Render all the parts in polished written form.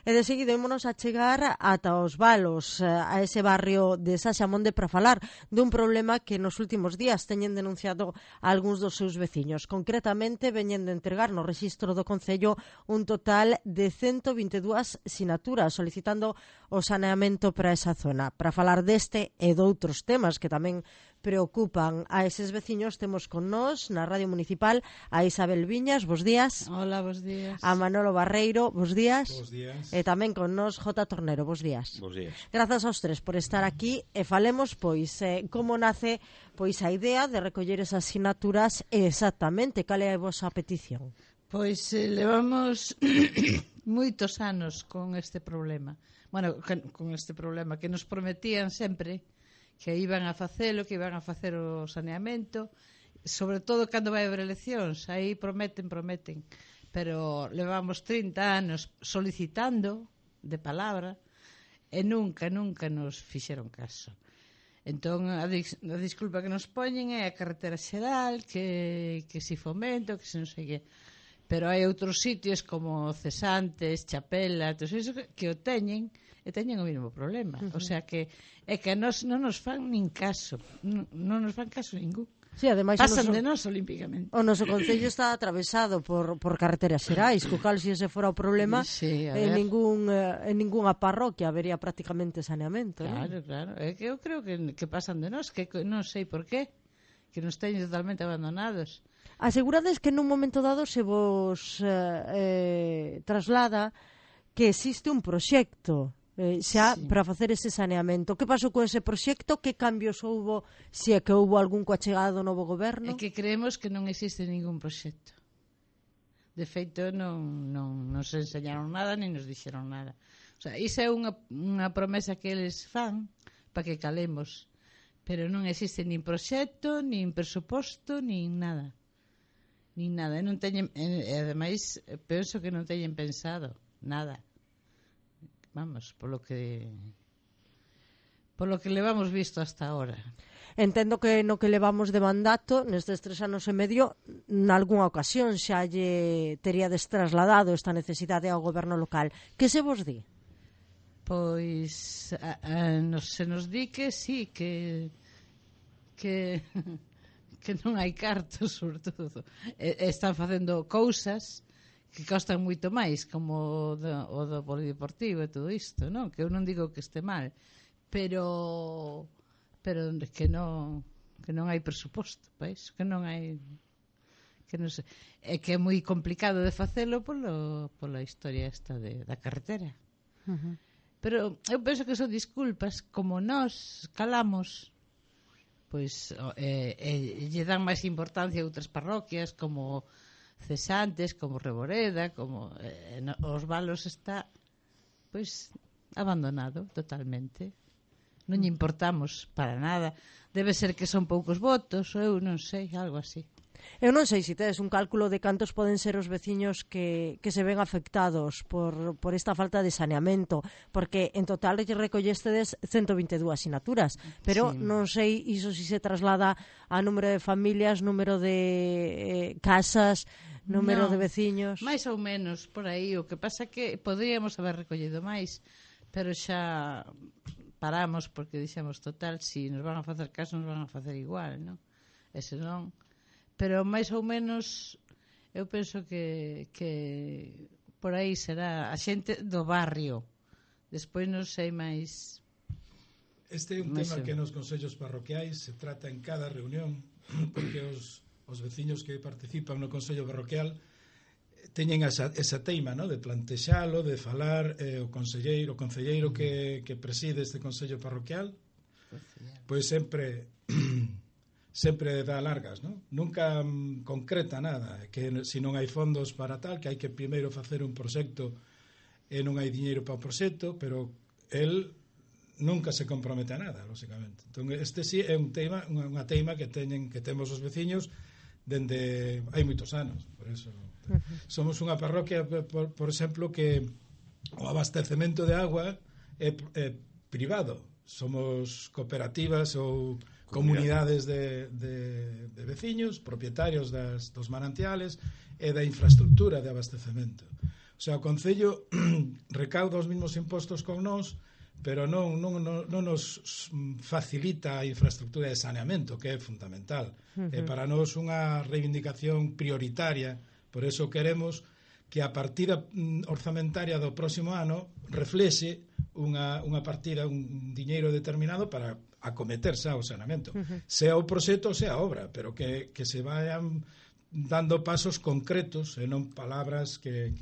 E de seguida ímonos a chegar ata os Valos, a ese barrio de Saxamonde, para falar dun problema que nos últimos días teñen denunciado algúns dos seus veciños. Concretamente, veñen de entregar no rexistro do Concello un total de 122 sinaturas solicitando o saneamento para esa zona. Para falar deste e doutros temas que tamén preocupan a eses veciños, temos con nós na Radio Municipal a Isabel Viñas, bos días. Hola, bos días. A Manolo Barreiro, bos días. Bos días. E tamén con nós J. Tornero, bos días. Bos días. Grazas aos tres por estar aquí e falemos como nace a idea de recoller esas sinaturas e exactamente cal é a vosa petición. Pois levamos moitos anos con este problema. Bueno, con este problema que nos prometían sempre que iban a facelo, que iban a facer o saneamento, sobre todo cando vai haber eleccións, aí prometen, pero levamos 30 anos solicitando de palabra e nunca nos fixeron caso. Entón, a disculpa que nos poñen é a carretera xeral, que si fomento, que se non sei que. Pero hai outros sitios como Cesantes, Chapela, todo iso que o teñen e teñen o mesmo problema. O sea que é que a nós non nos fan nin caso, non nos fan caso ningún. Sí, ademais, pasan de nós olímpicamente. O noso concello está atravesado por carreteras xerais, co cal se ese fora o problema, sí, en ningunha parroquia habería prácticamente saneamento. Claro. É que eu creo que pasan de nós, que non sei por qué, que nos teñen totalmente abandonados. Asegurades que nun momento dado se vos traslada que existe un proxecto xa sí, para facer ese saneamento. Que pasou con ese proxecto? Que cambios houbo, se é que houbo algún coa chegada do novo goberno? É que creemos que non existe ningún proxecto. De feito, non nos enseñaron nada, nin nos dixeron nada. O sea, iso é unha promesa que eles fan para que calemos. Pero non existe nin proxecto, nin presuposto, nin nada. Nin nada. E ademais, penso que non teñen pensado nada. Vamos, polo que levamos visto hasta ahora. Entendo que no que levamos de mandato, nestes 3 anos e medio, nalgúnha ocasión xa lle teríades trasladado esta necesidade ao goberno local. Que se vos di? Pois se nos di que sí, que non hai cartos, sobre todo. Están facendo cousas que costan moito máis, como o do polideportivo e todo isto, non? Que eu non digo que este mal, pero que non hai presuposto, pois, que non hai, que non sei, é que é moi complicado de facelo pola historia esta da carretera. Pero eu penso que son disculpas, como nós calamos, pois lle dan máis importancia a outras parroquias como Cesantes, como Reboreda, como os Valos está pois abandonado totalmente. Non lle importamos para nada. Debe ser que son poucos votos, ou eu non sei, algo así. Eu non sei se tedes un cálculo de cantos poden ser os veciños que se ven afectados por esta falta de saneamento, porque en total lle recollestedes 122 sinaturas, pero sí, non sei iso si se traslada a número de familias, número de casas, número de veciños. Máis ou menos por aí. O que pasa é que poderíamos haber recollido máis, pero xa paramos porque dixemos, total, si nos van a facer caso, nos van a facer igual, non? E senón, pero máis ou menos eu penso que por aí será a xente do barrio. Despois non sei máis. Este é un tema que nos consellos parroquiais se trata en cada reunión, porque os veciños que participan no consello parroquial teñen esa teima, ¿no?, de plantexalo, de falar, o concelleiro que preside este consello parroquial, pois sempre dá largas, ¿no? Nunca concreta nada, que se non hai fondos para tal, que hai que primeiro facer un proxecto e non hai diñeiro para o proxecto, pero el nunca se compromete a nada, lógicamente. Entón, este sí é un tema, unha teima que temos os veciños dende hai moitos anos. Por eso somos unha parroquia, por exemplo, que o abastecemento de agua é privado. Somos cooperativas ou comunidades de veciños, propietarios dos manantiales e da infraestructura de abastecemento. O sea, o Concello recauda os mesmos impostos con nós, pero non nos facilita a infraestructura de saneamento, que é fundamental. É para nós unha reivindicación prioritaria, por eso queremos que a partida orzamentaria do próximo ano reflexe unha partida, un diñeiro determinado para acometerse ao saneamento. Sea o proxecto, sea a obra, pero que se vayan dando pasos concretos e non palabras que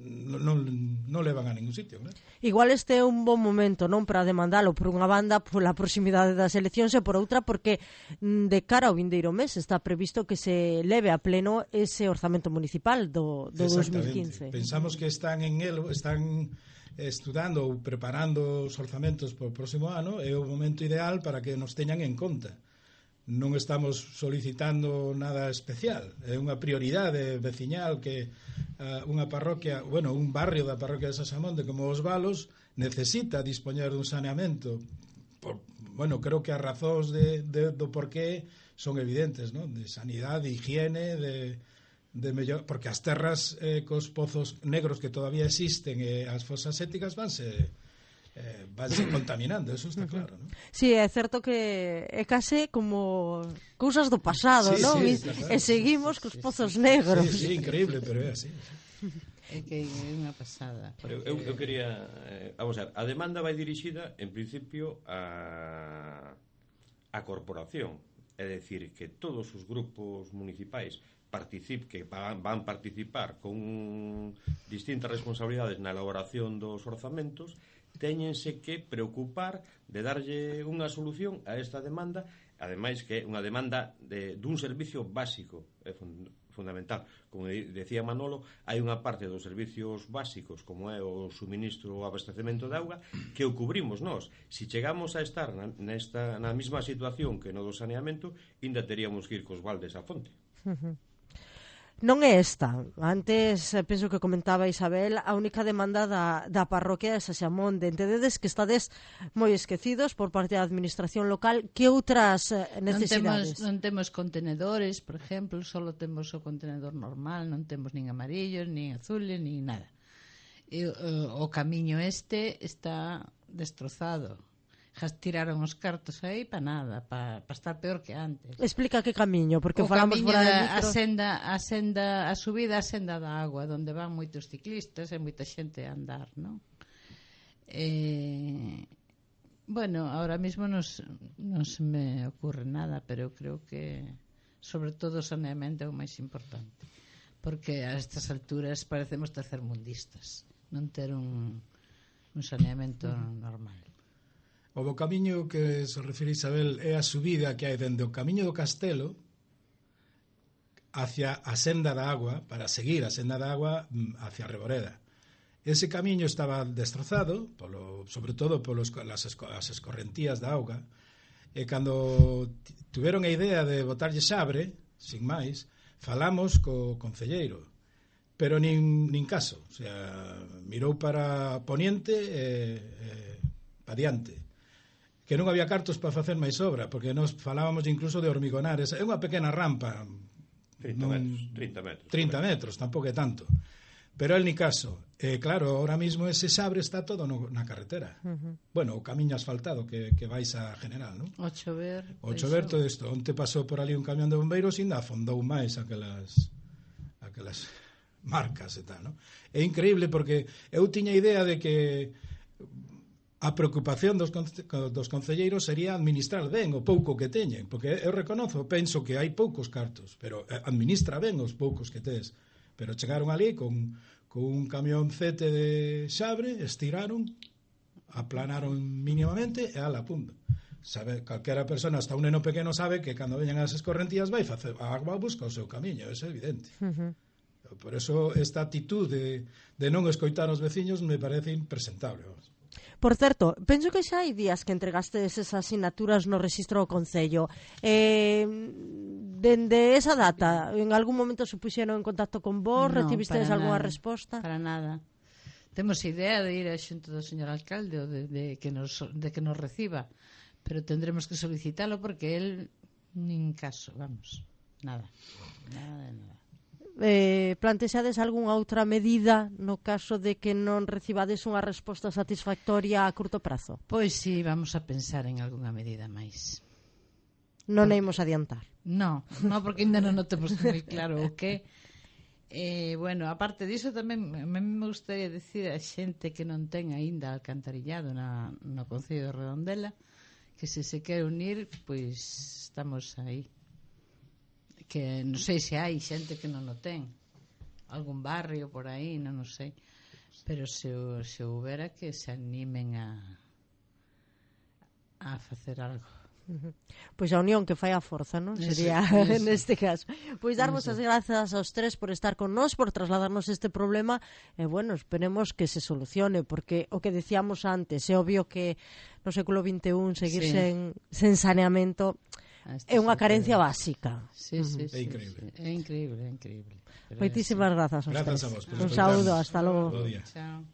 non levan a ningún sitio, ¿no? Igual este é un bon momento, non, para demandalo por unha banda pola proximidade das eleccións e por outra porque de cara ao vindeiro mes está previsto que se leve a pleno ese orzamento municipal do 2015. Pensamos que están estudando ou preparando os orzamentos para o próximo ano, é o momento ideal para que nos teñan en conta. Non estamos solicitando nada especial, é unha prioridade veciñal que unha parroquia, bueno, un barrio da parroquia de Sasamonte como os Valos necesita dispoñer dun saneamento. Bueno, creo que as razóns do porqué son evidentes, ¿no? De sanidade, de higiene, de mellor, porque as terras cos pozos negros que todavía existen e as fosas sépticas vanse contaminando, eso está claro, ¿no? Sí, é certo que é case como cousas do pasado, non? E seguimos cos pozos negros. Sí, increíble, pero é así. É que é unha pasada. Eu quería, vamos a ver, a demanda vai dirixida en principio a corporación, é dicir, que todos os grupos municipais que van participar con distintas responsabilidades na elaboración dos orzamentos téñense que preocupar de darlle unha solución a esta demanda, ademais que é unha demanda dun servicio básico, é fundamental. Como decía Manolo, hai unha parte dos servicios básicos, como é o suministro ou abastecemento de auga, que o cubrimos nós. Se chegamos a estar na mesma situación que no do saneamento, ainda teríamos que ir cos baldes á fonte. Non é esta. Antes, penso que comentaba Isabel, a única demanda da parroquia de Saxamonde. Entendedes que estades moi esquecidos por parte da administración local. Que outras necesidades? Non temos contenedores, por exemplo, só temos o contenedor normal, non temos nin amarillos, nin azules, nin nada. E o camiño está destrozado. Tiraron os cartos aí para nada, para estar peor que antes. Explica que camiño, porque o falamos fora de micro. A subida a senda da agua, onde van moitos ciclistas e moita xente a andar, non? Bueno, ahora mismo non se me ocurre nada, pero eu creo que sobre todo o saneamento é o máis importante, porque a estas alturas parecemos tercermundistas, non ter un saneamento normal. O camiño que se refire Isabel é a subida que hai dende o camiño do Castelo hacia a senda da agua, para seguir a senda da agua hacia Reboreda. Ese camiño estaba destrozado, sobre todo polas escorrentías da auga, e cando tuveron a idea de botarlle xabre, sin máis, falamos co concelleiro, pero nin caso, o sea, mirou para poniente e para diante, que non había cartos para facer máis obra, porque nos falábamos incluso de hormigonar. É unha pequena rampa, 30 metros, tampouco é tanto. Pero el ni caso. Claro, ahora mismo ese xabre está todo na carretera. Bueno, o camiño asfaltado que vais a General, non? O chover todo isto. Onte pasou por ali un camión de bombeiros e ainda afondou máis aquelas marcas e tal, non? É increíble porque eu tiña idea de que a preocupación dos concelleiros sería administrar ben o pouco que teñen, porque eu penso que hai poucos cartos, pero administra ben os poucos que tes. Pero chegaron ali con un camioncete de xabre, estiraron, aplanaron mínimamente e ala, punto. Sabe, calquera persona, hasta un neno pequeno sabe que cando veñan as escorrentías vai facer a agua busca o seu camiño, eso é evidente. Por eso esta actitud de non escoitar os veciños me parece impresentable. Por certo, penso que xa hai días que entregastes esas asignaturas no rexistro do Concello. Dende esa data, en algún momento se puxeron en contacto con vos? No, recibistedes algunha resposta? Para nada. Temos idea de ir a xunto do señor alcalde ou de que nos reciba, pero tendremos que solicitalo porque él nin caso, vamos, nada de nada. plantexades algunha outra medida no caso de que non recibades unha resposta satisfactoria a curto prazo? Pois sí, vamos a pensar en algunha medida máis. Non imos adiantar. No, porque ainda non o temos moi claro o que. Bueno, aparte diso tamén a mí me gustaría dicir a xente que non ten aínda alcantarillado no Concello de Redondela que se quere unir, pois estamos aí. Que non sei se hai xente que non o ten, algún barrio por aí, non o sei, pero se houbera que se animen a facer algo. Pois a unión que fai a forza, non? Sería neste caso. Pois darvos as grazas aos tres por estar con nós, por trasladarnos este problema e, bueno, esperemos que se solucione, porque o que decíamos antes, é obvio que no século XXI seguir sen saneamento é unha carencia básica. Sí. É increíble. É increíble. Moitísimas grazas aos tres. Grazas a vos. Un saúdo, hasta logo. Bo día. Chao.